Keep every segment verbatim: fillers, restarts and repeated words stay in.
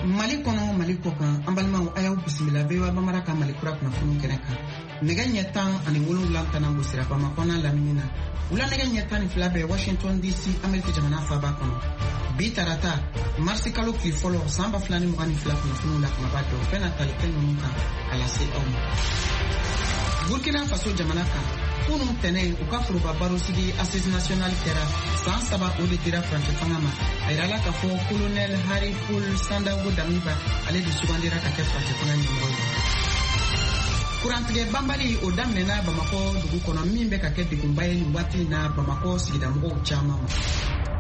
Mali kɔnɔ, Mali kɔkan, an balimaw, a y'aw bisimila V O A Bambara ka Mali kura kunnafoniw kɛnɛ kan. Nɛgɛ ɲɛ tan ani wolonwula tana gosira Bamakɔ n'a lamini na. Wula nɛgɛ ɲɛ tan ni fila bɛ Washington D C, Ameriki jamana faaba kɔnɔ. Bi tarata, marisi kalo tile fɔlɔ, san ba fila ni mugan ni fila, kunnafoniw la kumaba dɔ bɛna tali kɛ ninnu kan ka lase aw ma. Burkina Faso jamana kan, kunu tɛnɛ, u ka foroba barosigi Assise nationale kɛra. San saba o de dira furancɛ fanga ma. A yirala k'a fɔ colonel Henri Paul Sandaogo Damiba, ale de sugandira ka kɛ furancɛ fanga ɲɛmɔgɔ ye. Kurantigɛ banbali o daminɛna Bamakɔ dugu kɔnɔ, min bɛ ka kɛ degunba ye nin waati in na Bamakɔ sigidamɔgɔw caman ma.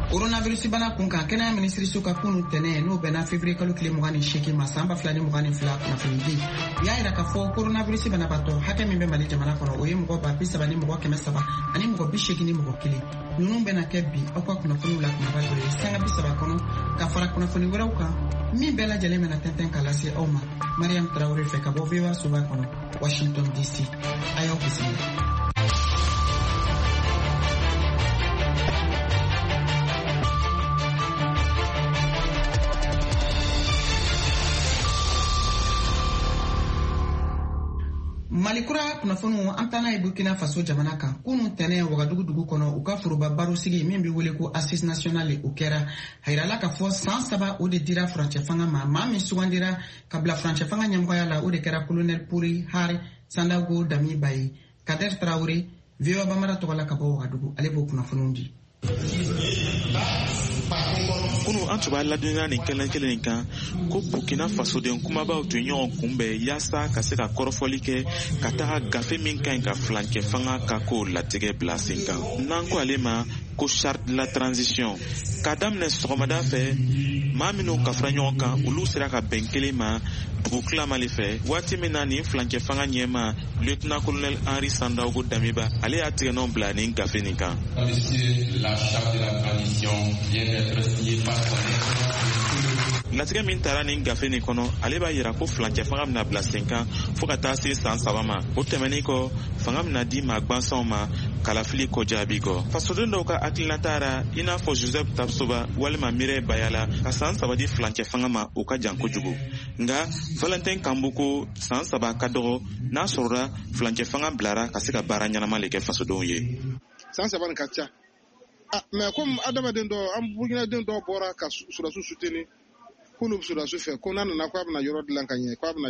Coronavirus bana kun kan, kɛnɛya minisiriso ka kunu tɛnɛ, n'o bɛnna février kalo tile mugan ni seegin ma, san ba fila ni mugan ni fila kunnafonidi, u y'a yira k'a fɔ coronavirus banabaatɔ hakɛ min bɛ Mali jamana kɔnɔ, o ye mɔgɔ ba bi saba ni mɔgɔ kɛmɛ saba ani mɔgɔ bi seegin ni mɔgɔ kelen. Ninnu bɛna kɛ bi aw ka kunnafoniw la kumaba dɔ ye sanga bi saba kɔnɔ, ka fara kunnafoni wɛrɛw kan min bɛɛ lajɛlen bɛna tɛntɛn ka lase aw ma Mariam Tarawele fɛ ka bɔ V O A soba kɔnɔ, Washington D C. A y'aw bisimila. Mali kura kunnafoniw, an taa n'a ye Burkina Faso jamana kan. Kunu tɛnɛ, Wagadugu dugu kɔnɔ, u ka foroba barosigi min be wele ko Assise nationale, o kɛra. A yirala k'a fɔ san saba o de dira furancɛ fanga ma. Maa min sugandira ka bila furancɛ fanga ɲɛmɔgɔya la, o de kɛra colonel Paul Henri Sandaogo Damiba ye. Kader Tarawele, V O A Bambara tɔgɔ la ka bɔ Wagadugu, ale b'o kunnafoniw di. Kunu, an tun b'a ladɔnniya nin kɛnɛ kelen in kan ko Burkina fasoden kumabaw tun ye ɲɔgɔn kunbɛn yaasa ka se ka kɔrɔfɔli kɛ ka taga gafe min ka ɲi ka filancɛ fanga ka ko latigɛ bila sen kan, n'an ko ale ma ko Charte de la transition. K'a daminɛ sɔgɔmada fɛ, maa minw kafara ɲɔgɔn kan, olu sera ka bɛn kelen ma dugu tilama le fɛ, waati min na nin filancɛ fanga ɲɛma, lieutenant colonel Henri Sandaogo Damiba, ale y'a tigɛnɔ bila nin gafe nin kan. La charte de la transition vient d'être signée par son excellence. Latigɛ min tara nin gafe nin kɔnɔ, ale b'a yira ko filancɛ fanga bɛna bila sen kan fɔɔ ka taa se san saba ma. O tɛmɛnin kɔ, fanga bɛna di maa gwansanw ma kalafili kɔjaabi kɔ. Fasoden dɔw ka hakilinata ra, i n'a fɔ Joseph Tapsoba walima Mireille Bayala, ka san saba di filancɛ fanga ma, o ka jan kojugu. Nga Valentin Kambu ko san saba ka dɔgɔ, n'a sɔrɔla filancɛ fanga bilara ka se ka baara ɲɛnama le kɛ fasodenw ye. San saba nin ka ca, ah, mais comme adamaden dɔw, an Burukinaden dɔw bɔra ka sɔrɔdasiw soutenir k'olu bɛ sɔrɔdasiw fɛ, ko n'a nana k'a bɛna yɔrɔ dilan ka ɲɛ, k'a bɛna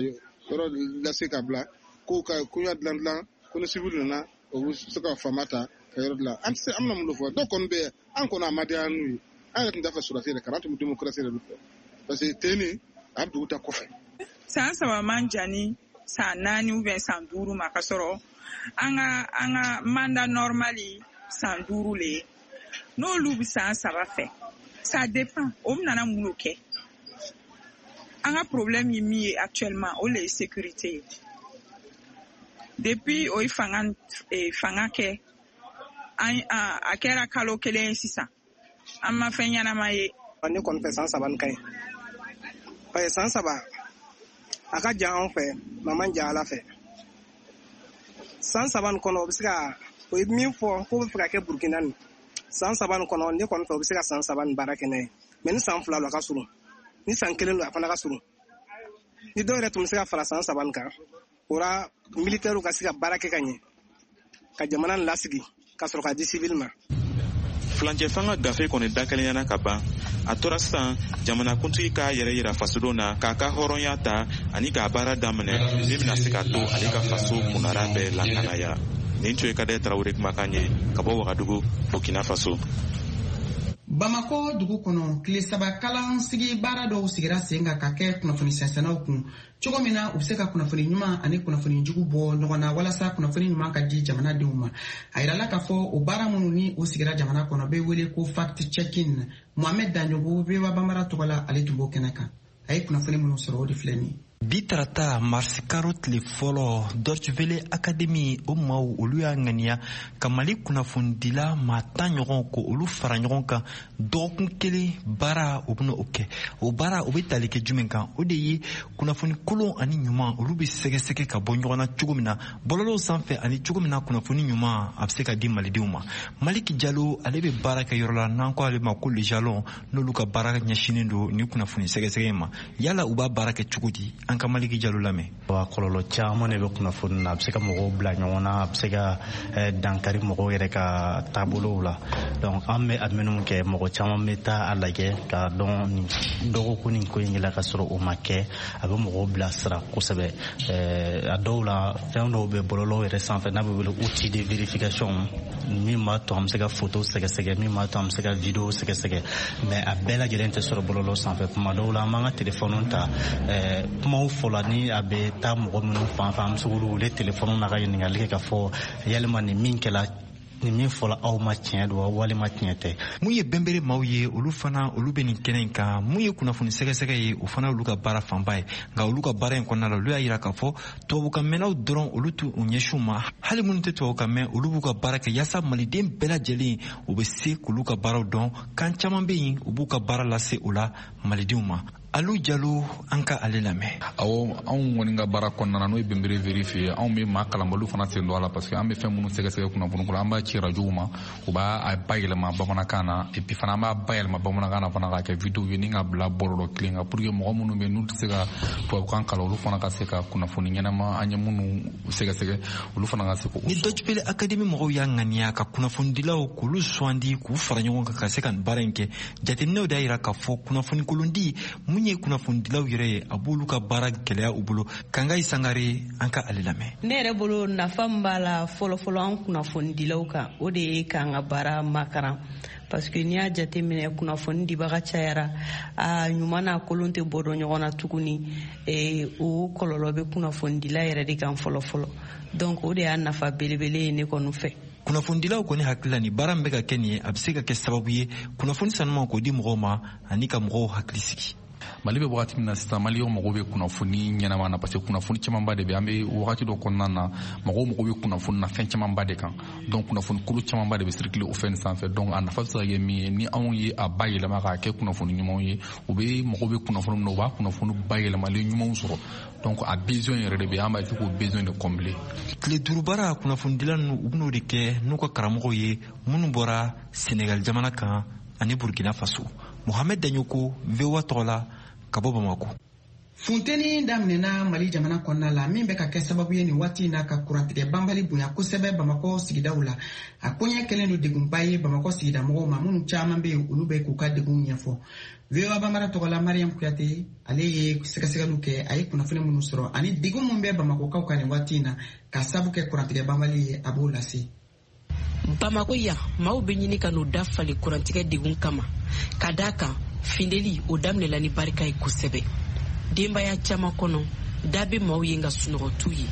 yɔrɔ lase ka bila, ko ka koɲa dilan dilan, ko ni civil nana, o bɛ se ka faama ta ka yɔrɔ dilan. An tɛ se, an bɛna mun de fɔ? Dɔw kɔni bɛ yen, an kɔni a ma diya n'u ye. An yɛrɛ tun t'a fɛ sɔrɔdasi yɛrɛ ka na, an tun bɛ démocratie yɛrɛ de fɛ, parce que ten a bɛ dugu ta kɔfɛ. San saba man jan ni san naani ou bien san duuru ma, ka sɔrɔ an ka an ka mandat normal san duuru le ye. N'olu bɛ san saba fɛ, ça dépend o bɛna mun kɛ. An ka problème ye min ye actuellement, o le ye sécurité ye. Depuis o ye fanga eh, fanga kɛ, an a kɛra kalo kelen ye sisan, an ma fɛn ɲɛnama ye. Ne kɔni fɛ, san saba nin ka ɲi, parce que san saba a ka jan anw fɛ, mɛ a man jan Ala fɛ. San saba nin kɔnɔ, o bɛ se ka o ye min fɔ k'o bɛ fɛ ka kɛ Burukina nin san saba nin kɔnɔ, ne kɔni fɛ, o bɛ se ka san saba nin baara kɛ n'a ye. Mɛ ni san fila don, a ka surun. Ni san kelen don, a fana ka surun. Ni dɔw yɛrɛ tun bɛ se ka fara san saba nin kan, o la militɛriw ka se ka baara kɛ ka ɲɛ, ka jamana nin lasigi ka sɔrɔ ka di civil ma. Filancɛ fanga gafe kɔni dakɛlɛyana ka ban. A tora sisan jamanakuntigi k'a yɛrɛ yira fasodenw na, k'a ka hɔrɔnya ta ani k'a baara daminɛ min bɛna se ka to ale ka faso kunnara bɛɛ lakanaya. Nin tun ye Kadɛ Tarawele kumakan ye ka bɔ Wagadugu, Burkina Faso. Bamako dugu kɔnɔ, tile saba kalansigi baara dɔw sigira sen kan ka kɛ kunnafoni sɛnsɛnnaw kun, cogo min na u be se ka kunnafoni ɲuman ani kunnafoni jugu bɔ ɲɔgɔn na, walasa kunnafoni ɲuman ka di jamanadenw ma. A yirala k'a fɔ o baara minnu ni o sigira jamana kɔnɔ bɛ wele ko fact checking. Mohamed Daɲogo, V O A Bambara tɔgɔ la, ale tun b'o kɛnɛ kan. A ye kunnafoni minnu sɔrɔ, o de filɛ nin ye. Bi tarata marisi karo tile fɔlɔ, Deutsche Welle Academy o maaw olu y'a ŋaniya ka Mali kunnafonidila maa tan ɲɔgɔn ko olu fara ɲɔgɔn kan dɔgɔkun kelen baara, u bɛna o kɛ. O baara o bɛ tali kɛ jumɛn kan? O de ye kunnafoni kolon ani ɲuman olu bɛ sɛgɛsɛgɛ ka bɔ ɲɔgɔn na cogo min na bɔlɔlɔw sanfɛ, ani cogo min na kunnafoni ɲuman a bɛ se ka di malidenw ma. Maliki Jalo, ale bɛ baara kɛ yɔrɔ la n'an ko ale ma ko Le Jalon, n'olu ka baara ɲɛsinnen don ni kunnafoni sɛgɛsɛgɛ in ma. Yala u b'a baara kɛ cogo di? An ka Maliki Jalo lamɛn. Wa kɔlɔlɔ caman de bɛ kunnafoni na. A bɛ se ka mɔgɔw bila ɲɔgɔn na, a bɛ se ka dankari mɔgɔw yɛrɛ ka taabolow la. Donc an bɛ a minnu kɛ, mɔgɔ caman bɛ taa a lajɛ k'a dɔn nin dɔgɔkun nin ko in la ka sɔrɔ o ma kɛ. A bɛ mɔgɔw bilasira kosɛbɛ. A dɔw la, fɛn dɔw bɛ bɔlɔlɔw yɛrɛ sanfɛ n'a bɛ wele outil de vérification, min b'a to an bɛ se ka photo sɛgɛsɛgɛ, min b'a to an bɛ se ka vidéo sɛgɛsɛgɛ, mais a bɛɛ lajɛlen tɛ sɔrɔ bɔlɔlɔ sanfɛ. Kuma dɔw la, an b'an ka téléphone ta, kumaw fɔla ni a bɛ taa mɔgɔ minnu fan fɛ, an bɛ se k'olu wele téléphone na ka ɲininkali kɛ k'a fɔ yalima nin min kɛla, nin min fɔla aw ma, tiɲɛ don wa walima tiɲɛ tɛ? Mun ye bɛnbere maaw ye, olu fana olu bɛ nin kɛnɛ in kan. Mun ye kunnafoni sɛgɛsɛgɛ ye, o fana olu ka baara fanba ye. Nka olu ka baara in kɔnɔna la, olu y'a yira k'a fɔ tubabukan mɛnnaw dɔrɔn olu t'u ɲɛsin u ma, hali minnu tɛ tubabukan mɛn, olu b'u ka baara kɛ yaasa maliden bɛɛ lajɛlen u bɛ se k'olu ka baaraw dɔn. Kan caman bɛ yen, u b'u ka baara lase o la malidenw ma. Alu Jalo, an ka ale lamɛn. Awɔ, anw kɔni ka baara kɔnɔna na, n'o ye Bɛnbere Vérifier, anw bɛ maa kalanbaliw fana sen don a la, parce que an bɛ fɛn minnu sɛgɛsɛgɛ kunnafoni ko la, an b'a ci rajow ma, u b'a a bayɛlɛma bamanankan na. Et puis fana, an b'a bayɛlɛma bamanankan na fana k'a kɛ vidéo ye ni ka bila bɔlɔlɔ kelen kan, pour que mɔgɔ minnu bɛ yen n'u tɛ se ka tubabukan kalan, olu fana ka se ka kunnafoni ɲɛnama an ye minnu sɛgɛsɛgɛ, olu fana ka se k'o. Ni Deutsche Welle Academy mɔgɔw y'a ŋaniya ka kunnafonidilaw k'olu sugandi k'u fara ɲɔgɔn kan ka se ka nin baara in kɛ, jateminɛw de y'a yira k'a fɔ kunnafoni kolondi mun ye kunnafonidilaw yɛrɛ ye, a b'olu ka baara gɛlɛya u bolo. Kangayi Sangare, an ka ale lamɛn. Ne yɛrɛ bolo, nafa min b'a la fɔlɔfɔlɔ an kunnafonidilaw kan, o de ye k'an ka baara makaran, parce que n'i y'a jateminɛ, kunnafoni dibaga cayara, a ɲuman n'a kolon tɛ bɔ dɔn ɲɔgɔn na tuguni. O kɔlɔlɔ bɛ kunnafonidila yɛrɛ de kan fɔlɔ fɔlɔ. Donc o de y'a nafa belebele ye ne kɔni fɛ. Kunnafonidilaw kɔni hakili la, nin baara min bɛ ka kɛ nin ye, a bɛ se ka kɛ sababu ye kunnafoni sanuman k'o di mɔgɔw ma ani ka mɔgɔw hakili sigi. Mali bɛ wagati min na sisan, maliyɛnw mago bɛ kunnafoni ɲɛnama na, parce que kunnafoni camanba de bɛ. An bɛ wagati dɔ kɔnɔna na, mɔgɔw mago bɛ kunnafoni na fɛn camanba de kan. Donc kunnafoni kulu camanba de bɛ circuler o fɛn sanfɛ. Donc a nafa bɛ se ka kɛ min ye, ni anw ye a bayɛlɛma k'a kɛ kunnafoni ɲumanw ye, u bɛ mago bɛ kunnafoni min na, u b'a kunnafoni bayɛlɛmalen ɲumanw sɔrɔ. Donc a besoin yɛrɛ de bɛ, an b'a essayer k'o besoin de combler. Tile duuru baara, kunnafonidila ninnu u bɛn'o de kɛ n'u ka karamɔgɔw ye minnu bɔra Senegal jamana kan ani Burkina Faso. Mohamed Dagnoko, V O A tɔgɔ la ka bɔ Bamako. Funteni daminɛna Mali jamana kɔnɔna la, min bɛ ka kɛ sababu ye nin waati in na ka kurantigɛ banbali bonya kosɛbɛ Bamakɔ sigidaw la. A koɲɛ kɛlen don degunba ye Bamakɔ sigida mɔgɔw ma, minnu caman bɛ yen, olu bɛ k'u ka degun ɲɛfɔ. V O A Bambara tɔgɔ la, Mariam Kuyate, ale ye sɛgɛsɛgɛliw kɛ. A ye kunnafoni minnu sɔrɔ ani degun min bɛ Bamakɔkaw kan nin waati in na ka sabu kɛ kurantigɛ banbali ye, a b'o lase. Bamako yan, maaw bɛ ɲini ka n'u da falen kurantigɛ degun kama, ka daa kan findeli o daminɛla ni barika ye kosɛbɛ denbaya caman kɔnɔ. Da bɛ maaw ye, nka sunɔgɔ t'u ye.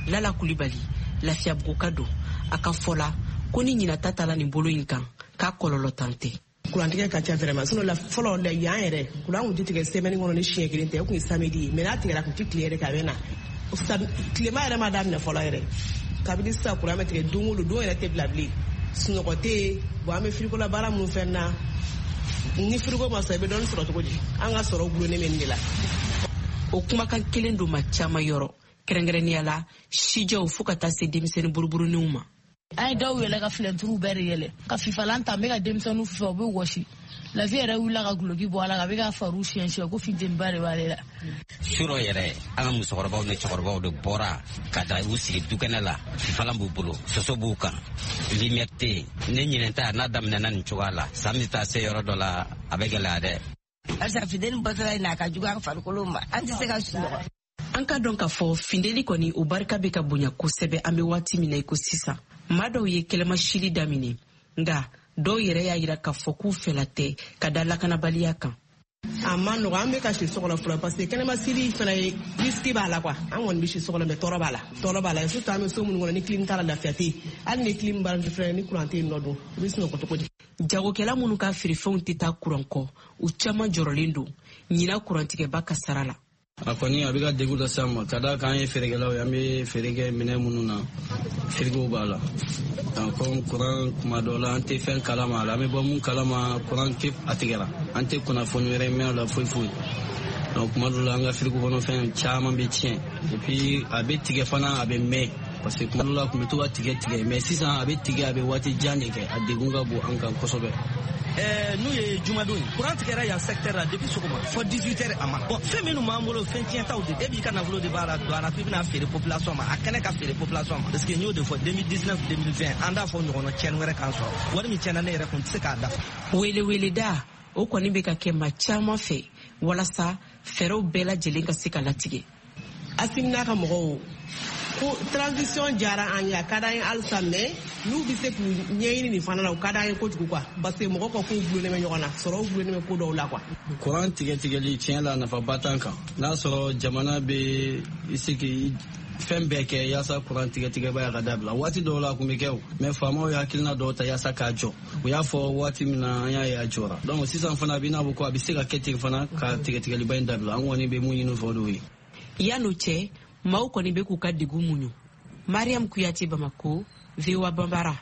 Lala Kulibali, Lafiyabugu ka don, a ka fɔ la ko ni ɲinata tala nin bolo in kan, k'a kɔlɔlɔ tan tɛ. Kurantigɛ ka ca vraiment. Sinon la fɔlɔ la yan yɛrɛ, kuran kun tɛ tigɛ semaine kɔnɔ ni siɲɛ kelen tɛ. O kun ye samedi ye, mais n'a tigɛra, a kun tɛ tile yɛrɛ kɛ, a bɛ na. Tilema yɛrɛ ma daminɛ fɔlɔ yɛrɛ, kabini sisan kuran bɛ tigɛ don o don, don yɛrɛ tɛ bila bilen, sunɔgɔ tɛ yen. Bon, an bɛ frigo la baara minnu fɛn na, ni frigo ma sɔrɔ, i bɛ dɔɔnin sɔrɔ cogo di? An ka sɔrɔ gulonnen bɛ nin de la. O kumakan kelen don ma caman yɔrɔ, kɛrɛnkɛrɛnnenya la sijɛw fo ka taa se denmisɛnnin buruburuninw ma. An ye dɔw yɛlɛ ka filɛnturuw bɛɛ de yɛlɛ ka fifalan ta. N bɛ ka denmisɛnninw fifa, u bɛ wɔsi. Lafi yɛrɛ wulila ka guloki bɔ a la ka bɛ ka fariw siɲɛ siɲɛ ko funteniba de b'ale la. Surɔ yɛrɛ, an ka musokɔrɔbaw ni cɛkɔrɔbaw de bɔra ka taa u sigi dukɛnɛ la, fifalan b'u bolo, soso b'u kan, lumière tɛ yen. Ne ɲinɛ ta n'a daminɛna nin cogoya la, san bɛ taa se yɔrɔ dɔ la, a bɛ gɛlɛya dɛ. Barisa funteni bɔtɔla in na, a ka jugu an farikolo ma, an tɛ se ka sunɔgɔ. An ka dɔn k'a fɔ findeli kɔni, o barika bɛ ka bonya kosɛbɛ. An bɛ waati min na i ko sisan, maa dɔw ye kɛlɛmasili daminɛ, nka dɔw yɛrɛ y'a yira k'a fɔ k'u fɛla tɛ ka da lakanabaliya kan. A ma nɔgɔ, an bɛ ka si so kɔnɔ fɔlɔ, parce que kɛnɛmasili fana ye risque b'a la quoi. An kɔni bɛ si so kɔnɔ, mais tɔɔrɔ b'a la, tɔɔrɔ b'a la, surtout an bɛ so minnu kɔnɔ, ni clim t'a la, lafiya tɛ yen. Hali ni clim b'a fɛnɛ, ni courant tɛ yen nɔ dun, i bɛ sunɔgɔ cogo di? Jagokɛla minnu ka feerefɛnw tɛ taa kuran kɔ, u caman jɔrɔlen don ɲinan kurantigɛba ka sara la. A kɔni a bɛ ka degun lase an ma ka d'a kan an ye feerekɛlaw ye, an bɛ feere kɛ minɛn minnu na, firigow b'a la. Comme courant kuma dɔw la an tɛ fɛn kalama a la, an bɛ bɔ mun kalama courant tɛ a tigɛra, an tɛ kunnafoni wɛrɛ mɛn a la foyi foyi. Donc kuma dɔw la an ka firigo kɔnɔfɛn caman bɛ tiɲɛ, et puis a bɛ tigɛ fana a bɛ mɛn, parce que kuma dɔw la a tun bɛ to ka tigɛ tigɛ, mais sisan a bɛ tigɛ a bɛ waati jan de kɛ, a degun ka bon an kan kosɛbɛ. N'u ye jumadon ye courant tigɛra yan secteur la depuis sɔgɔma fo dix-huit heures a ma bon fɛn minnu b'an bolo fɛn tiɲɛtaw de e b'i ka nafolo de b'a la don a la k'i bɛna feere population ma a kɛnɛ ka feere population ma parce que n y'o de fɔ deux mille dix-neuf deux mille vingt an t'a fɔ ɲɔgɔnna tiɲɛni wɛrɛ k'an sɔrɔ wari min tiɲɛna ne yɛrɛ kun tɛ se k'a dafa. Weleweleda o kɔni bɛ ka kɛ maa caman fɛ walasa fɛɛrɛw bɛɛ lajɛlen ka se ka latigɛ. Asimi n'a ka mɔgɔw ko transition diyara an ye, a ka d'an ye halisa, mais n'u bɛ se k'u ɲɛɲini nin fana la, o ka d'an ye kojugu quoi, parce que mɔgɔw ka kow gulonnen bɛ ɲɔgɔn na, sɔrɔw gulonnen bɛ ko dɔw la quoi. Courant tigɛ tigɛli tiɲɛ la nafaba t'an kan, n'a sɔrɔ jamana bɛ i se k'i fɛn bɛɛ kɛ yaasa courant tigɛ tigɛba y'a ka dabila. Waati dɔw la a kun bɛ kɛ o, mais faamaw ye hakilina dɔw ta yaasa k'a jɔ, u y'a fɔ waati min na an y'a ye a jɔra. Donc sisan fana a bɛ n'a fɔ ko a bɛ se ka kɛ ten fana ka tigɛ tigɛliba in dabila, an kɔni bɛ mun ɲini fɔ o de ye. Yan'o cɛ maaw kɔni bɛ k'u ka degun muɲu. Mariam Kuyate, Bamako, V O A Bambara.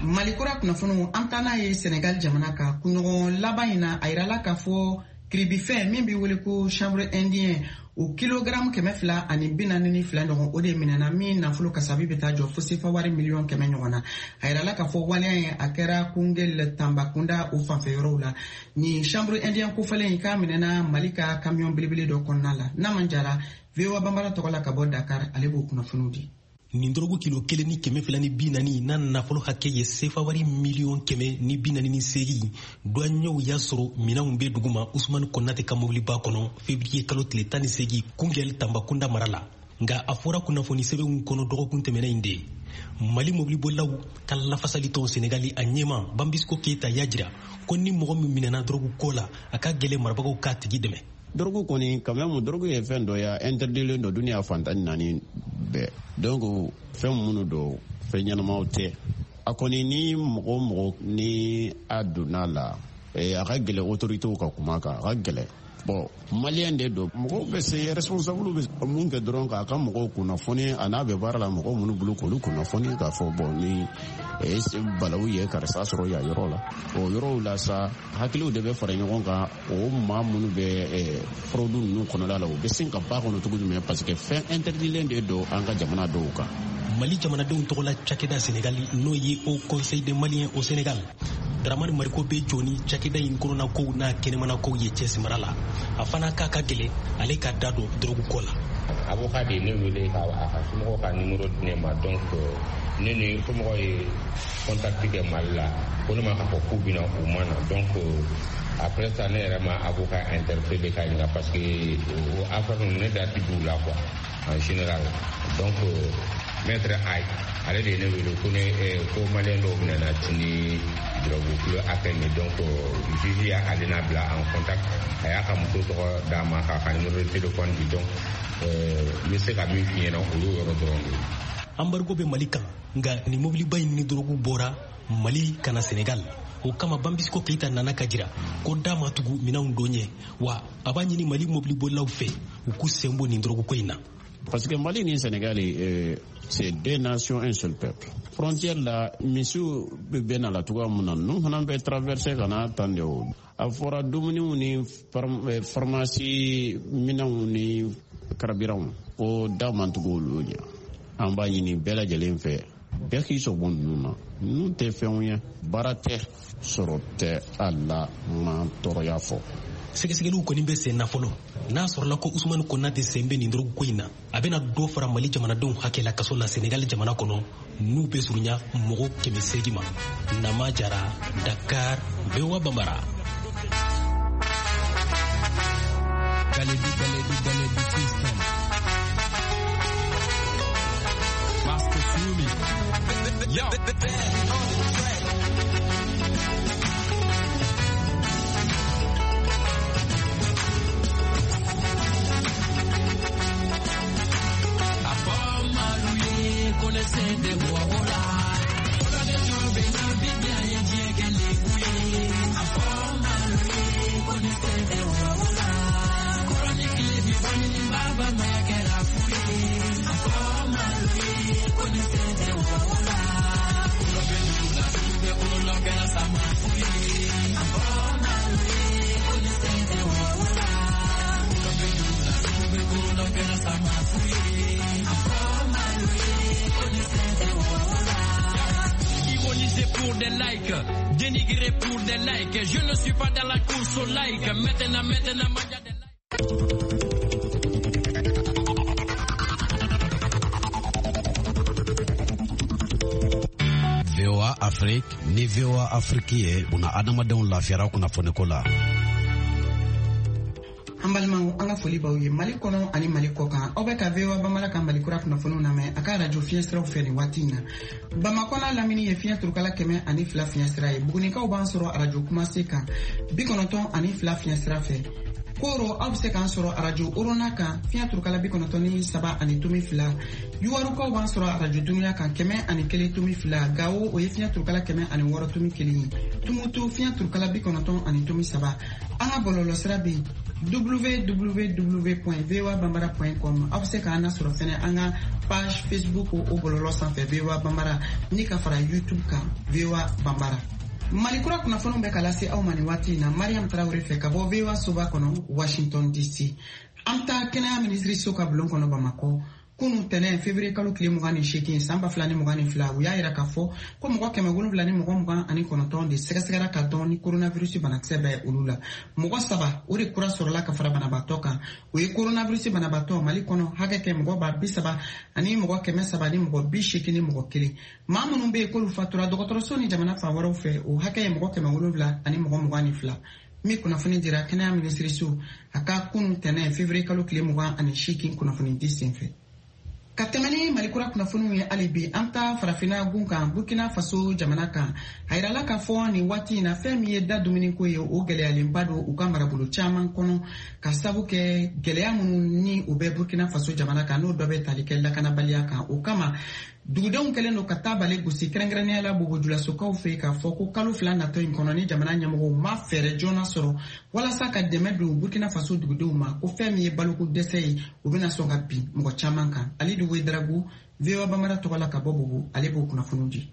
Mali kura kunnafoniw an taa n'a ye Senegal jamana kan. Kunɲɔgɔn laban in na a yirala k'a fɔ kiribifɛn min bɛ wele ko chanvre indien o kilogramme kɛmɛ fila ani bi naani ni fila ɲɔgɔn o de minɛna min nafolo kasabi bɛ taa jɔ fo sefa wari miliyɔn kɛmɛ ɲɔgɔn na. A yirala k'a fɔ waleya in a kɛra Koungheul Tambacounda o fanfɛ yɔrɔw la. Nin chanvre indien kofɔlen in k'a minɛna Mali ka camion belebele dɔ kɔnɔna la. Naman Jara, V O A Bambara tɔgɔ la ka bɔ Dakar, ale b'o kunnafoniw di. Nin dɔrɔgu kilo kelen ni kɛmɛ fila ni bi naani n'a nafolo hakɛ ye sefa wari miliyɔn kɛmɛ ni bi naani ni seegin douaniers y'a sɔrɔ minɛnw bɛ duguma Usumani Konate ka mobiliba kɔnɔ février kalo tile tan ni seegin Koungheul Tambacounda mara la. Nka a fɔra kunnafoni sɛbɛnw kɔnɔ dɔgɔkun tɛmɛnen in de Mali mobilibolilaw ka lafasalitɔn Senegali a ɲɛma Bambisco Keita y'a jira ko ni mɔgɔ min minɛna dɔrɔgu ko la a ka gɛlɛn marabagaw k'a tigi dɛmɛ. Dɔrɔgu kɔni quand même dɔrɔgu ye fɛn dɔ ye interdilen don duniya fan tan ni naani bɛɛ, donc fɛn minnu don fɛn ɲɛnamaw tɛ. A kɔni ni mɔgɔ mɔgɔ ni a donna la a ka gɛlɛn autorités ka kuma kan, a ka gɛlɛn. Bon malien de don, mɔgɔw bɛ se responsable bɛ mun kɛ dɔrɔn k'a ka mɔgɔw kunnafoni a n'a bɛ baara la mɔgɔw minnu bolo k'olu kunnafoni k'a fɔ bon ni balawu ye karisa sɔrɔ yan yɔrɔ la. O yɔrɔw la sa hakiliw de bɛ fara ɲɔgɔn kan, o maa minnu bɛ fraude ninnu kɔnɔla la u bɛ sin ka ba kɔnɔ cogo jumɛn, parce que fɛn interdilen de don an ka jamana dɔw kan. Mali jamanadenw tɔgɔla cakɛda Senegali n'o ye Haut Conseil des Maliens au Sénégal, Dramane Mariko bɛ jɔ ni cakɛda in kɔnɔna kow n'a kɛnɛmana kow ye cɛsimara la. A fana k'a ka gɛlɛn ale ka da don dɔrɔgu ko la. Avocat de ye ne wele ka a ka somɔgɔw ka numéro di ne ma, donc ne ni somɔgɔw ye contact kɛ Mali la ko ne ma k'a fɔ k'u bɛna u ma na, donc après ça ne yɛrɛ ma avocat interpellé ka ɲininka parce que o affaire ninnu ne da ti d'u la quoi en général. Donc maître Ayi ale de ye ne wele ko ne ko malien dɔw bɛna ni drogue kilo hakɛ nin, donc juge y'ale n'a bila en contact, a y'a ka muso tɔgɔ d'a ma k'a ka numéro de téléphone di, donc n bɛ se ka min f'i ɲɛna o y'o yɔrɔ dɔrɔn de ye. Embargo bɛ Mali kan, nka nin mobiliba in ni drogue bɔra Mali ka na Senegal. O kama Bambisco Keita nana ka jira ko da ma tugu minɛnw don ɲɛ, wa a b'a ɲini Mali mobilibolilaw fɛ u k'u sen bɔ nin drogue ko in na. Parce que Mali ni Sénégal, euh, c'est deux nations, un seul peuple. Frontière la, misiw bɛ bɛn na la cogoya mun na, ninnu fana bɛ traverser ka na tan de o. A fɔra dumuniw ni pharmacie minɛnw ni carburant ko da man tugu olu ɲɛ. An b'a ɲini bɛɛ lajɛlen fɛ bɛɛ k'i sɔn ninnu na. Ninnu tɛ fɛnw ye, baara tɛ, sɔrɔ tɛ a la, ma tɔɔrɔya fɔ. Sɛgɛsɛgɛliw kɔni bɛ sen na fɔlɔ. N'a sɔrɔla ko Usumani Konate sen bɛ nin dɔrɔgu ko in na, a bɛna dɔ fara Mali jamanadenw hakɛ la kaso la Senegali jamana kɔnɔ n'u bɛ surunya mɔgɔ kɛmɛ seegin ma. Nama Jara, Dakar, V O A Bambara. Galedu, Galedu, Galedu system. Master Sumi. Yo. Ironiser pour des likes, dénigrer pour des likes. Je ne suis pas dans la course au like. Maintenant, maintenant, manja des likes. V O A Afrique ni V O A Afrique ye una adamadenw lafiyara kunnafoniko la. An balimaw, an ka foli b'aw ye Mali kɔnɔ ani Mali kɔ kan. Aw bɛ ka V O A Bambara ka Mali kura kunnafoniw lamɛn a ka radio fiɲɛ siraw fɛ nin waati in na. Bamakɔ n'a lamini ye fiɲɛ turukala kɛmɛ ani fila fiɲɛ sira ye. Bugunikaw b'an sɔrɔ radio Kumase kan bi kɔnɔntɔn ani fila fiɲɛ sira fɛ. Koro, aw bɛ se k'an sɔrɔ arajo Orona kan fiɲɛ turukala bi kɔnɔntɔn ni saba ani tomi fila. Yuwarukaw b'an sɔrɔ arajo Dunuya kan kɛmɛ ani kelen tomi fila. Gawo, o ye fiɲɛ turukala kɛmɛ ani wɔɔrɔ tomi kelen ye. Tumutu, fiɲɛ turukala bi kɔnɔntɔn ani tomi saba. An ka bɔlɔlɔsira bɛ yen w w w point v o a bambara point com. Aw bɛ se k'an lasɔrɔ fɛnɛ an ka page Facebook o bɔlɔlɔ sanfɛ V O A Bambara, ni ka fara YouTube kan V O A Bambara. Mali kura kunnafoniw bɛ ka lase aw ma nin waati in na Mariam Tarawele fɛ ka bɔ V O A soba kɔnɔ Washington D C. An bɛ taa kɛnɛya minisiriso ka bulon kɔnɔ Bamakɔ. Kunu tɛnɛn février kalo tile mugan ni seegin san ba fila ni mugan ni fila, u y'a yira k'a fɔ ko mɔgɔ kɛmɛ wolonwula ni mɔgɔ mugan ani kɔnɔntɔn de sɛgɛsɛgɛra ka dɔn ni coronavirus banakisɛ bɛ olu la. Mɔgɔ saba o de kura sɔrɔla ka fara banabaatɔ kan. O ye coronavirus banabaatɔ Mali kɔnɔ hakɛ kɛ mɔgɔ ba bi saba ani mɔgɔ kɛmɛ saba ni mɔgɔ bi seegin ni mɔgɔ kelen. Maa minnu bɛ yen k'olu fatura dɔgɔtɔrɔso ni jamana fan wɛrɛw fɛ, o hakɛ ye mɔgɔ kɛmɛ wolonwula ani mɔgɔ mugan ni fila. Min kunnafoni dira kɛnɛya minisiriso a ka kunu tɛnɛn février kalo tile mugan ani seegin kunnafoni di senfɛ. Ka tɛmɛ ni Mali kura kunnafoniw ye hali bi, an taa farafinna gun kan Burkina Faso jamana kan. A yirala k'a fɔ nin waati in na fɛn min ye da dumuniko ye, o gɛlɛyalenba don u ka marabolo caman kɔnɔ ka sabu kɛ gɛlɛya minnu ni u bɛ Burkina Faso jamana kan, n'o dɔ bɛ tali kɛ lakanabaliya kan. O kama dugudenw kɛlen don ka taa bale gosi kɛrɛnkɛrɛnnenya la Bobojulasokaw fɛ k'a fɔ ko kalo fila natɔ in kɔnɔ ni jamana ɲɛmɔgɔw ma fɛɛrɛ joona sɔrɔ walasa ka dɛmɛ don Burkina Faso dugudenw ma, ko fɛn min ye baloko dɛsɛ ye, o bɛna sɔn ka bin mɔgɔ caman kan. Alidu Ouedraogo, V O A Bambara tɔgɔ la ka bɔ Bobo, ale b'o kunnafoniw di.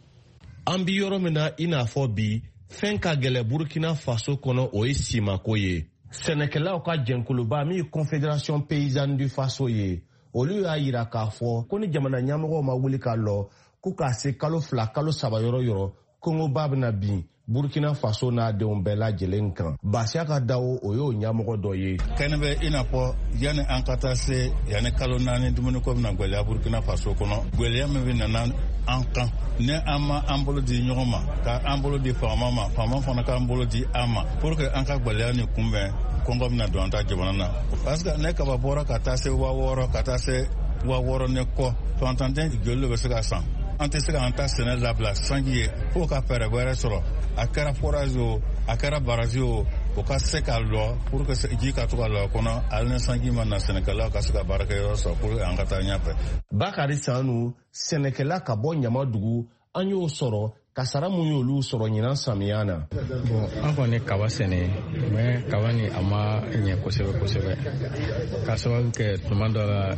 An bi yɔrɔ min na i n'a fɔ bi, fɛn ka gɛlɛ Burkina Faso kɔnɔ, o ye simako ye. Sɛnɛkɛlaw ka jɛnkuluba min ye Confédération paysanne du Faso ye, olu y'a yira k'a fɔ ko ni jamana ɲɛmɔgɔw ma wuli ka lɔ ko k'a se kalo fila kalo saba yɔrɔ yɔrɔ, kɔngɔba bɛna bin Burkina Faso n'a denw bɛɛ lajɛlen kan. Basiaka Dawo, o y'o ɲɛmɔgɔ dɔ ye. Kɛnɛ bɛ i n'a fɔ yanni an ka taa se yanni kalo naani dumuniko bɛna gwɛlɛya Burkina Faso kɔnɔ. Gwɛlɛya min bɛ nana an kan ni an ma an bolo di ɲɔgɔn ma, ka an bolo di faama ma, faama fana k'an bolo di an ma pour que an ka gwɛlɛya nin kunbɛn, kɔngɔ bɛna don an ta jamana na. Parce que ne kaba bɔra ka taa se waa wɔɔrɔ ka taa se waa wɔɔrɔ ni kɔ, fantanden joli de bɛ se ka san. An tɛ se k'an ta sɛnɛ labila sanji ye fo ka fɛɛrɛ wɛrɛ sɔrɔ. A kɛra forage o, a kɛra baraji o, o ka se ka lɔ pour que ji ka to ka lɔ a kɔnɔ, hali ni sanji ma na, sɛnɛkɛlaw ka se ka baarakɛyɔrɔ sɔrɔ pour que an ka taa ɲɛfɛ. Bakari Sanu, sɛnɛkɛla ka bɔ Ɲamadugu, an y'o sɔrɔ kasara mun y'olu sɔrɔ ɲinan samiya na. Bon, an kɔni kaba sɛnɛ, mais kaba ni a ma ɲɛ kosɛbɛ kosɛbɛ, k'a sababu kɛ tuma dɔ la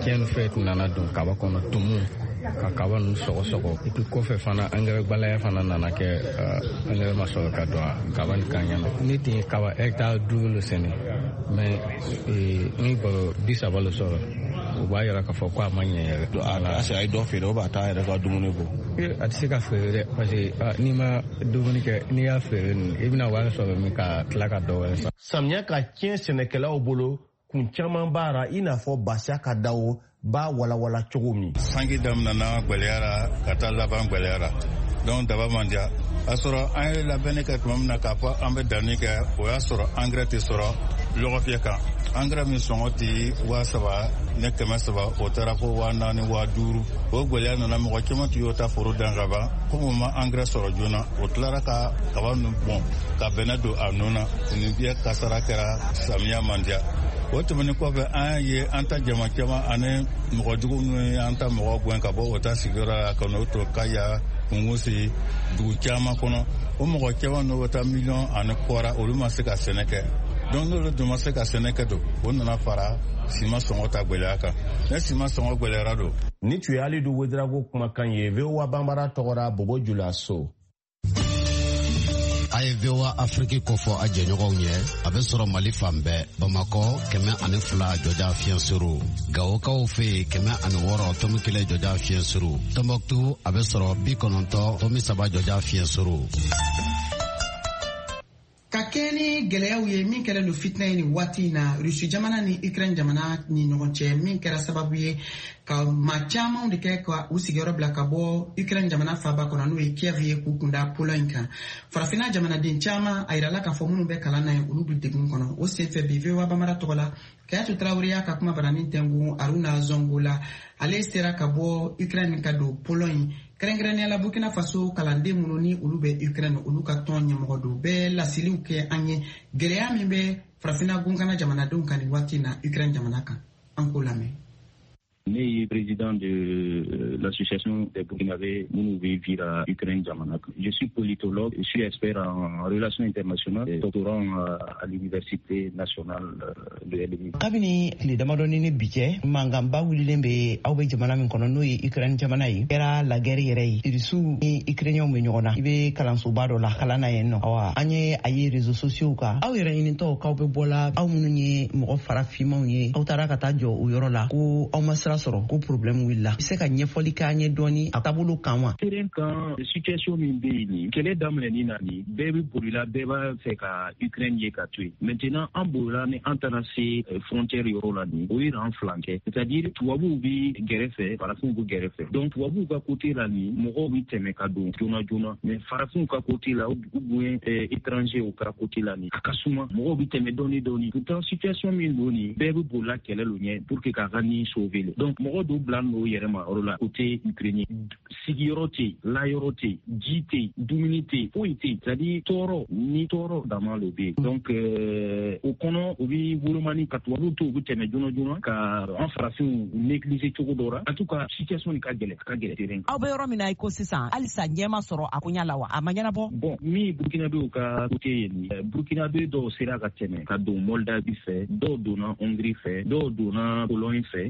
tiɲɛni fɛn nana don kaba kɔnɔ, tumu ka kaba ninnu sɔgɔsɔgɔ. Et puis kɔfɛ fana angɛrɛ gbalaya fana nana kɛ, angɛrɛ ma sɔrɔ ka don kaba ni kan ɲɛna. Ne tun ye kaba hectare duuru le sɛnɛ, mais n ye baro bi saba le sɔrɔ. O b'a yira k'a fɔ ko a ma ɲɛ yɛrɛ. A ye dɔ feere, o b'a taa yɛrɛ ka dumuni bɔ. A tɛ se ka feere dɛ, parce que n'i ma dumuni kɛ, n'i y'a feere nin, i bɛna wari sɔrɔ min ka tila ka dɔ wɛrɛ san. Samiya ka tiɲɛ sɛnɛkɛlaw bolo, kun caman b'a ra, i n'a fɔ Basiaka Dawo b'a walawala cogo min. Sanji daminɛna gwɛlɛyara ka taa laban gwɛlɛyara, donc daba man diya. A sɔrɔ an ye labɛnni kɛ tuma min na k'a fɔ an bɛ danni kɛ, o y'a sɔrɔ angɛrɛ tɛ sɔrɔ lɔgɔfiyɛ kan. Angɛrɛ min sɔngɔ tɛ waa saba ne kɛmɛ saba, o taara fo waa naani waa duuru. O gwɛlɛya nana, mɔgɔ caman tun y'o ta foro dan ka ban, komi u ma angɛrɛ sɔrɔ joona, o tilara ka kaba ninnu bɔn ka bɛnɛ don a nun na. Nin biyɛ kasara kɛra, samiya man diya. O tɛmɛnen kɔfɛ, an ye an ta jama caman ani mɔgɔ jugu minnu ye an ta mɔgɔ gɛn ka bɔ o ta sigiyɔrɔ la ka n'o to Kaya, Kungusi, dugu caman kɔnɔ. O mɔgɔ caman n'o bɛ taa miliyɔn ani kɔra, olu ma se ka sɛnɛ kɛ. Donc n'olu dun ma se ka sɛnɛ kɛ don, o nana fara siman sɔngɔ ta gwɛlɛya kan. Ne siman sɔngɔ gwɛlɛyara don. Ni tun ye Alidu Ouedraogo kumakan ye V O A Bambara tɔgɔ la Bobo Julaso. A ye V O A Afrique kofɔ a jɛɲɔgɔnw ye, a bɛ sɔrɔ Mali fan bɛɛ, Bamakɔ kɛmɛ ani fila jɔja fiɲɛ suru, Gawokaw fɛ yen kɛmɛ ani wɔɔrɔ tomi kelen jɔja fiɲɛ suru, Tɔnbɔkutu a bɛ sɔrɔ bi kɔnɔntɔn tomi saba jɔja fiɲɛ suru. Ka kɛ ni gɛlɛyaw ye min kɛlen don fitinɛ ye nin waati in na Rusi jamana ni Ukraine jamana ni ɲɔgɔn cɛ, min kɛra sababu ye ka maa camanw de kɛ ka u sigiyɔrɔ bila ka bɔ Ukraine jamana faaba kɔnɔ, n'o ye Kiev ye, k'u kunda Pologne kan. Farafinna jamanaden caman a yirala k'a fɔ minnu bɛ kalan na yen, olu bɛ degun kɔnɔ. O senfɛ bi V O A Bambara tɔgɔ la, Kayatu Tarawele y'a ka kuma baranin tɛngun Aruna Zongo la. Ale sera ka bɔ Ukraine ka don Pologne, kɛrɛnkɛrɛnnenya la Burkina Faso kalanden minnu ni olu bɛ Ukraine, olu ka tɔn ɲɛmɔgɔ don. Bɛɛ laseliw kɛ an ye gɛlɛya min bɛ farafinna gunkana jamanadenw kan nin waati in na Ukraine jamana kan. An k'o lamɛn. Ne ye président de l'association des Burkinabés minnu bɛ vivre Ukraine jamana kan. Je suis politologue, je suis expert en relations internationales et doctorant à l'université nationale de L V. Kabini tile damadɔni ni bi cɛ, mankanba wulilen bɛ aw bɛ jamana min kɔnɔ, n'o ye Ukraine jamana ye, kɛra la guerre yɛrɛ ye. Irisiw ni Ukrainiens bɛ ɲɔgɔn na. I bɛ kalansoba dɔ la kalan na yen nɔ. Awa, an ye a ye réseaux sociaux kan. Aw yɛrɛ ɲinitɔw k'aw bɛ bɔ la, aw minnu ye mɔgɔ farafinmanw ye, aw taara ka taa jɔ o yɔrɔ la ko aw ma sira sɔrɔ, ko problème wulila. I bɛ se ka ɲɛfɔli k'an ye dɔɔni a taabolo kan wa? Terrain kan, situation min bɛ yen nin, kɛlɛ daminɛni na nin, bɛɛ bɛ bolila, bɛɛ b'a fɛ ka Ukraine ye ka to yen. Maintenant an bolila ni an taara se frontière yɔrɔ la nin, o ye an fila kɛ. C'est-à-dire tubabuw bɛ gɛrɛfɛ, farafinw bɛ gɛrɛfɛ. Donc tubabuw ka côté la nin, mɔgɔw bɛ tɛmɛ ka don joona joona. Mais farafinw ka côté la ou bien étranger ka côté la nin, a ka suma, mɔgɔw bɛ tɛmɛ dɔɔni dɔɔni. Pourtant situation min don nin, bɛɛ bɛ bolila kɛlɛ lo ɲɛ pour que k'a ka nin sauver le. Donc mɔgɔ dɔw bila n'o yɛrɛ ma yɔrɔ la côté ukrainien, sigiyɔrɔ tɛ yen, layɔrɔ tɛ yen, ji tɛ yen, dumuni tɛ yen, foyi tɛ yen. C'est-à-dire tɔɔrɔ ni tɔɔrɔ dama lo bɛ yen. Donc o kɔnɔ u bɛ wolomani ka tubabuw to, u bɛ tɛmɛ joona joona ka an farafinw négliger cogo dɔ la. En tout cas situation nin ka gɛlɛn, a ka gɛlɛn terrain. Aw bɛ yɔrɔ min na i ko sisan, halisa ɲɛ ma sɔrɔ a koɲa la wa? A ma ɲɛnabɔ? Bon, min Burkinabéw ka côté ye nin, Burkinabé dɔw sera ka tɛmɛ ka don Moldavie fɛ, dɔw donna Hongrie fɛ, dɔw donna Pologne fɛ.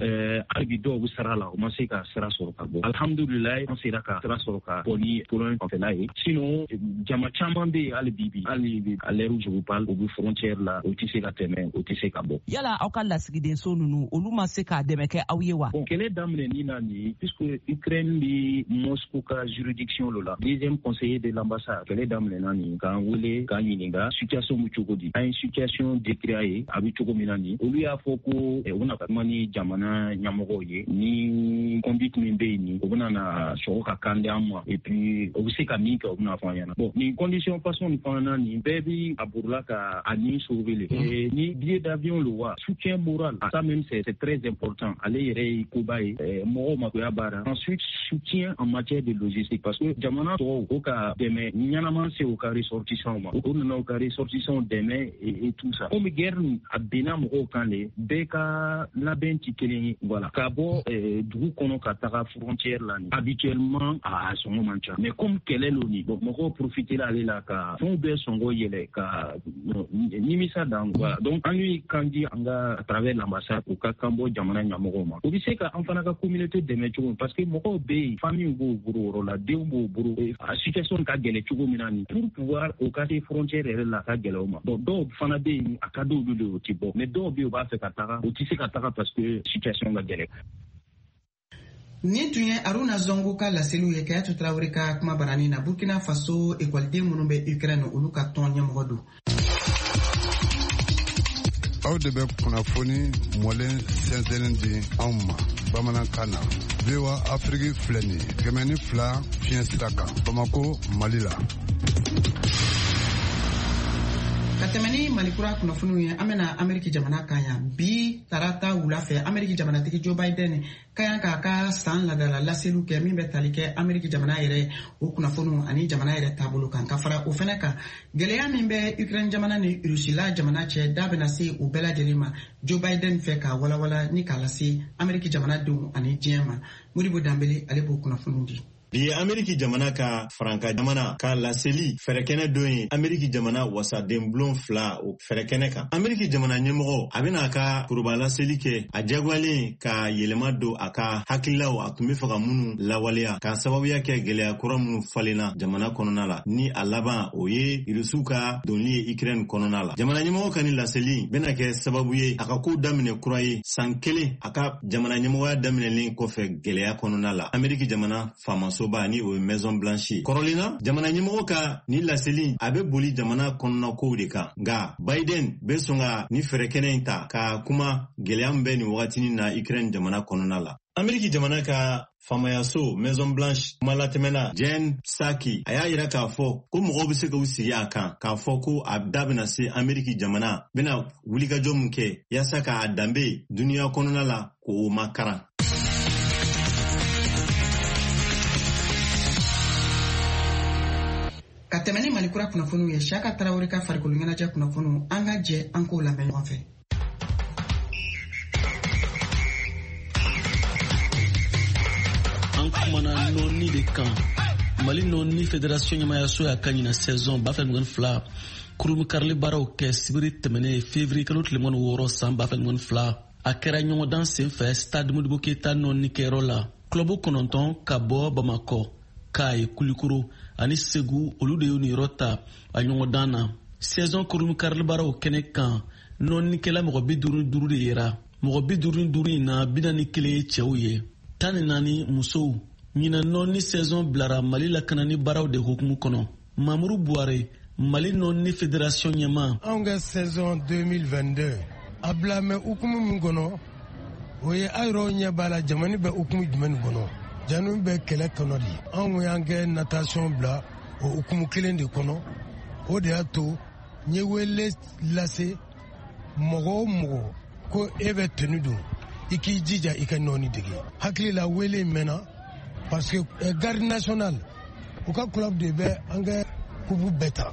Hali bi dɔw bɛ sara la, u ma se ka sira sɔrɔ ka bɔ. Alhamdulilayi, an sera ka sira sɔrɔ ka bɔ ni Pologne fanfɛla ye. Sinon jama caman bɛ yen hali bi bi, hali bi à l'heure où je vous parle, u bɛ frontière la, u tɛ se ka tɛmɛ, u tɛ se ka bɔ. Yala aw ka lasigidenso ninnu, olu ma se k'a dɛmɛ kɛ aw ye wa? Bon, kɛlɛ daminɛni na nin, puisque Ukraine bɛ Moscou ka juridiction lo la, deuxième conseiller de l'ambassade, kɛlɛ daminɛna nin, k'an wele k'an ɲininka situation bɛ cogo di. An ye situation décrit a ye, a bɛ cogo min na nin, olu y'a fɔ ko u bɛna kuma ni jamana ɲɛmɔgɔw ye, ni conduite min bɛ yen nin, u bɛna na sɔrɔ ka kan di an ma, et puis u bɛ se ka min kɛ, u bɛna fɔ an ɲɛna. Bon, nin condition façon nin fana na nin, bɛɛ bɛ a bolila ka a ni sauver le. Ni billet d'avion lo wa, soutien moral, ça même c'est très important. Ale yɛrɛ ye koba ye, mɔgɔw makoya baara. Ensuite soutien en matière de logistique, parce que jamana tɔw o ka dɛmɛ ɲɛnama se u ka ressortissants ma, o nana u ka ressortissants dɛmɛ et tout ça. Komi guerre nin a binna mɔgɔw kan le, bɛɛ ka labɛn ti kelen ye. Voilà, ka bɔ dugu kɔnɔ ka taga frontière la nin, habituellement a sɔngɔ man ca, mais comme kɛlɛ lo nin, bon, mɔgɔw profiter la ale la ka fɛnw bɛɛ sɔngɔ yɛlɛ ka nimisa dan. Voilà, donc an y'u kan di an ka à travers l'ambassade, u ka kan bɔ jamana ɲɛmɔgɔw ma, u bɛ se ka an fana ka communauté dɛmɛ cogo min, parce que mɔgɔw bɛ yen, famille b'o bolo yɔrɔ la, denw b'o bolo, a situation ka gɛlɛn cogo min na nin, pour pouvoir o ka se frontière yɛrɛ la, a ka gɛlɛn o ma. Bon, dɔw fana bɛ yen, a ka d'olu de ye, o tɛ bɔ, mais dɔw bɛ yen, u b'a fɛ ka taga, u tɛ se ka taga parce que situation ka gɛlɛn. Nin tun ye Aruna Zongo ka laseliw ye Kayatu Tarawele ka kuma baranin na. Burkina Faso ekɔliden minnu bɛ Ukraine, olu ka tɔn ɲɛmɔgɔ don. Aw de bɛ kunnafoni mɔlen sɛnsɛnnen di anw ma bamanankan na. V O A Afrique filɛ nin ye kɛmɛ ni fila fiɲɛ sira kan, Bamako, Mali la. Ka tɛmɛ ni Malikura kunnafoniw ye, an bɛna Ameriki jamana kan yan. Bi tarata wula fɛ, Ameriki jamanatigi Joe Biden ka kan k'a ka san ladala laseliw kɛ min bɛ tali kɛ Ameriki jamana yɛrɛ o kunnafoniw ani jamana yɛrɛ taabolo kan. Ka fara o fɛnɛ kan, gɛlɛya min bɛ Ukraine jamana ni Rusila jamana cɛ, da bɛna se o bɛɛ lajɛlen ma Joe Biden fɛ k'a walawala ni k'a lase Ameriki jamanadenw ani diɲɛ ma. Modibo Danbele, ale b'o kunnafoniw di. Bi ye Ameriki jamana ka faranka jamana ka laseli fɛrɛkɛnɛ don ye Ameriki jamana wasadenbulon fila o fɛrɛkɛnɛ kan. Ameriki jamana ɲɛmɔgɔ a bɛna a ka foroba laseli kɛ, a jagoyalen ka yɛlɛma don a ka hakililaw a tun bɛ fɛ ka minnu lawaleya k'a sababuya kɛ gɛlɛya kura minnu falenna jamana kɔnɔna la, ni a laban o ye Irisiw ka donni ye Ukraine kɔnɔna la. Jamana ɲɛmɔgɔ ka nin laseli bɛna kɛ sababu ye a ka kow daminɛ kura ye san kelen a ka jamana ɲɛmɔgɔya daminɛlen kɔfɛ gɛlɛya kɔnɔna la Ameriki jamana faamasoba ni o ye Maison Blanche. Kɔrɔlen na, jamana ɲɛmɔgɔ ka nin laseli a bɛ boli jamana kɔnɔna kow de kan, nka Biden bɛ sɔn ka ni fɛɛrɛ kɛnɛ in ta ka kuma gɛlɛya min bɛ nin wagatinin na Ukraine jamana kɔnɔna la. Ameriki jamana ka faamayaso Maison Blanche kumalatɛmɛna Jen Psaki a y'a yira k'a fɔ ko mɔgɔw bɛ se k'u sigi a kan k'a fɔ ko a da bɛna se Ameriki jamana bɛna wulikajɔ min kɛ yaasa k'a danbe duniya kɔnɔna la k'o makaran. Ka tɛmɛ ni Mali kura kunnafoniw ye, Siyaka Tarawele ka farikolo ɲɛnajɛ kunnafoniw, an ka jɛ an k'o lamɛn ɲɔgɔn fɛ. An kumana nɔni de kan. Mali nɔni fédération ɲɛmayaso y'a ka ɲina saison ba fila mugan ni fila kurunkarili baaraw kɛ sibiri tɛmɛnen février kalo tile mugan ni wɔɔrɔ san ba fila mugan ni fila. A kɛra ɲɔgɔndan senfɛ stade Modibo Keyita nɔni kɛyɔrɔ la. Club kɔnɔntɔn ka bɔ Bamakɔ, Kayi, Kulikoro ani Segu, olu de y'u niyɔrɔ ta a ɲɔgɔndan na. Saison kurunkarili baaraw kɛnɛ kan, nɔnikɛla mɔgɔ bi duuru ni duuru de yera. Mɔgɔ bi duuru ni duuru in na, bi naani kelen ye cɛw ye, tan ni naani musow. Ɲinan nɔni saison bilara Mali lakanani baaraw de hukumu kɔnɔ. Mamuru Buware, Mali nɔni fédération ɲɛmaa. Anw ka saison deux mille vingt-deux a bila mɛ hukumu min kɔnɔ, o ye a yɛrɛw ɲɛ b'a la jamana bɛ hukumu jumɛn kɔnɔ. Janu bɛ kɛlɛ kɔnɔ de. Anw y'an kɛ natation bila o hukumu kelen de kɔnɔ. O de y'a to n ye wele lase mɔgɔ o mɔgɔ ko e bɛ tenue don, i k'i jija i ka nɔɔni dege. Hakili la wele in mɛnna parce que garde nationale u ka club de bɛ an kɛ kubu bɛɛ ta.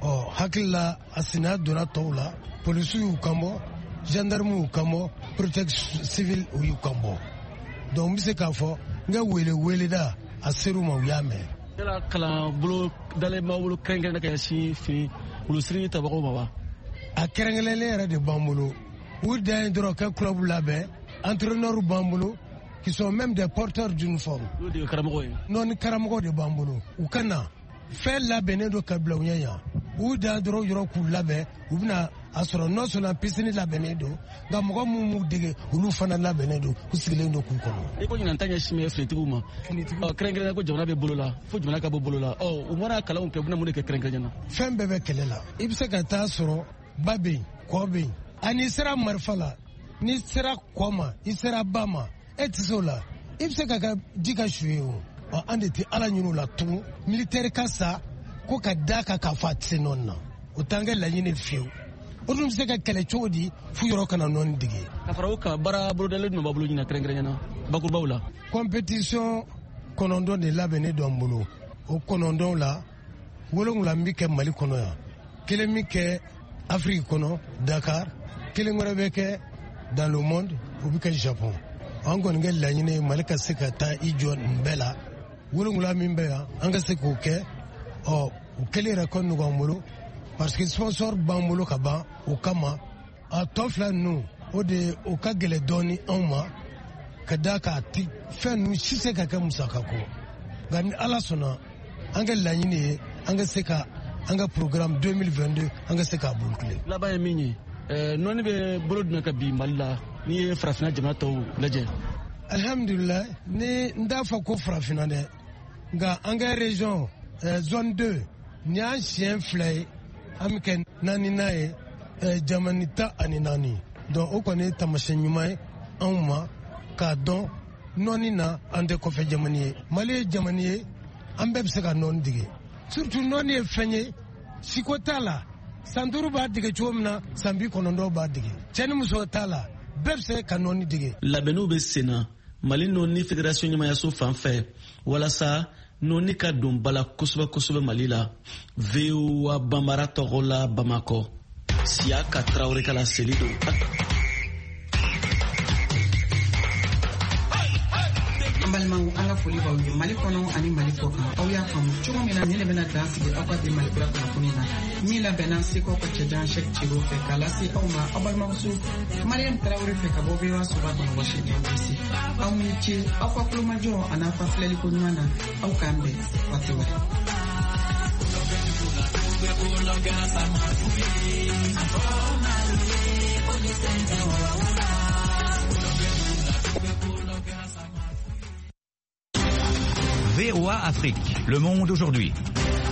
Ɔ hakili la a sinaya donna tɔw la, polisiw y'u kan bɔ, gendarme y'u kan bɔ, protection civile u y'u kan bɔ. Donc n bɛ se k'a fɔ n ka wele weleda a ser'u ma, u y'a mɛn. Yala kalanbolo dalen b'aw bolo kɛrɛnkɛrɛnnen ka ɲɛsin fini wulusiri tabagaw ma wa? A kɛrɛnkɛrɛnlen yɛrɛ de b'an bolo. U dan ye dɔrɔn ka club labɛn, entraîneur b'an bolo qui sont même des porteurs d'uniforme. N'o de ye karamɔgɔ ye. Nɔni karamɔgɔ de b'an bolo. U ka na fɛn labɛnnen don ka bila u ɲɛ yan. U dan dɔrɔn yɔrɔ k'u labɛn, u bɛna a sɔrɔ non seulement piscine labɛnnen don, nka mɔgɔ minnu m'u dege olu fana labɛnnen don, u sigilen don k'u kɔnɔ. I ko ɲinan ta ɲɛsin bɛ finitigiw ma. Kɛrɛnkɛrɛnnenya ko jamana bɛ bolo la, fo jamana ka bɔ bolo la. Ɔ u mana kalanw kɛ, u bɛna mun de kɛ kɛrɛnkɛrɛnnenya la? Fɛn bɛɛ bɛ kɛlɛ la. I bɛ se ka taa sɔrɔ ba bɛ yen, kɔ bɛ yen. Ani sera marifa la, n'i sera kɔ ma, i sera ba ma, e tɛ se o la. I bɛ se ka kɛ ji ka su ye o. Ɔ an de tɛ Ala ɲini o la tugun. Militaire ka sa ko ka da kan k'a fɔ a tɛ se nɔni na. O t'an kɛ laɲini fiyewu. O dun bɛ se ka kɛlɛ cogo di f'u yɔrɔ kana nɔni dege. Ka fara o kan, baara bolodalen jumɛn b'a bolo ɲinan kɛrɛnkɛrɛnnenya la bakurubaw la? Compétition kɔnɔntɔn de labɛnnen don an bolo. O kɔnɔntɔn la, wolonwula bɛ kɛ Mali kɔnɔ yan, kelen bɛ kɛ Afrique kɔnɔ Dakar, kelen wɛrɛ bɛ kɛ dans le monde, o bɛ kɛ Japon. An kɔni kɛ laɲini ye Mali ka se ka taa i jɔ nin bɛɛ la. Wolonwula min bɛ yan, an ka se k'o kɛ. Ɔ o kelen yɛrɛ ka nɔgɔn an bolo parce que sponsor b'an bolo ka ban o kama. A tɔ fila ninnu, o de o ka gɛlɛn dɔɔni anw ma ka d'a kan a ti fɛn ninnu si se ka kɛ musaka ko. Nka ni Ala sɔnna, an ka laɲini ye an ka se ka an ka programme deux mille vingt-deux an ka se k'a boucler. Laban ye min ye, nɔni bɛ bolo jumɛn kan bi Mali la n'i ye farafinna jamana tɔw lajɛ? Alhamdulilayi, ni n t'a fɔ ko farafinna dɛ, nka an ka région zone deux nin y'an siɲɛ fila ye, an bɛ kɛ naaninan ye, jamana tan ani naani. Donc o kɔni ye taamasiyɛn ɲuman ye anw ma k'a dɔn nɔni na an tɛ kɔfɛ jamana ye. Mali ye jamana ye, an bɛɛ bɛ se ka nɔni dege. Surtout nɔni ye fɛn ye, siko t'a la. San duuru b'a dege cogo min na, san bi kɔnɔntɔn b'a dege. Cɛ ni muso t'a la, bɛɛ bɛ se ka nɔni dege. Labɛnniw bɛ sen na Mali nɔni fédération ɲɛmayaso fan fɛ walasa nɔni ka don ba la kosɛbɛ kosɛbɛ Mali la. V O A Banbara tɔgɔ la Bamakɔ, Siyaka Tarawele ka laseli don. An Balimaw, an ka foli b'aw ye Mali kɔnɔ ani Mali kɔ kan. Aw y'a faamu cogo min na, nin de bɛna dan sigi aw ka bi Mali kura kunnafoni na, min labɛnna Seko ka cɛjan Sɛk Ciro fɛ k'a lase aw ma, aw balimamuso Mariam Tarawele fɛ ka bɔ V O A soba kɔnɔ, Washington D C. Aw ni ce aw ka kulomajɔ a n'aw ka filɛliko ɲuman na. Aw k'an bɛn waati wɛrɛ. V O A Afrique, le monde aujourd'hui.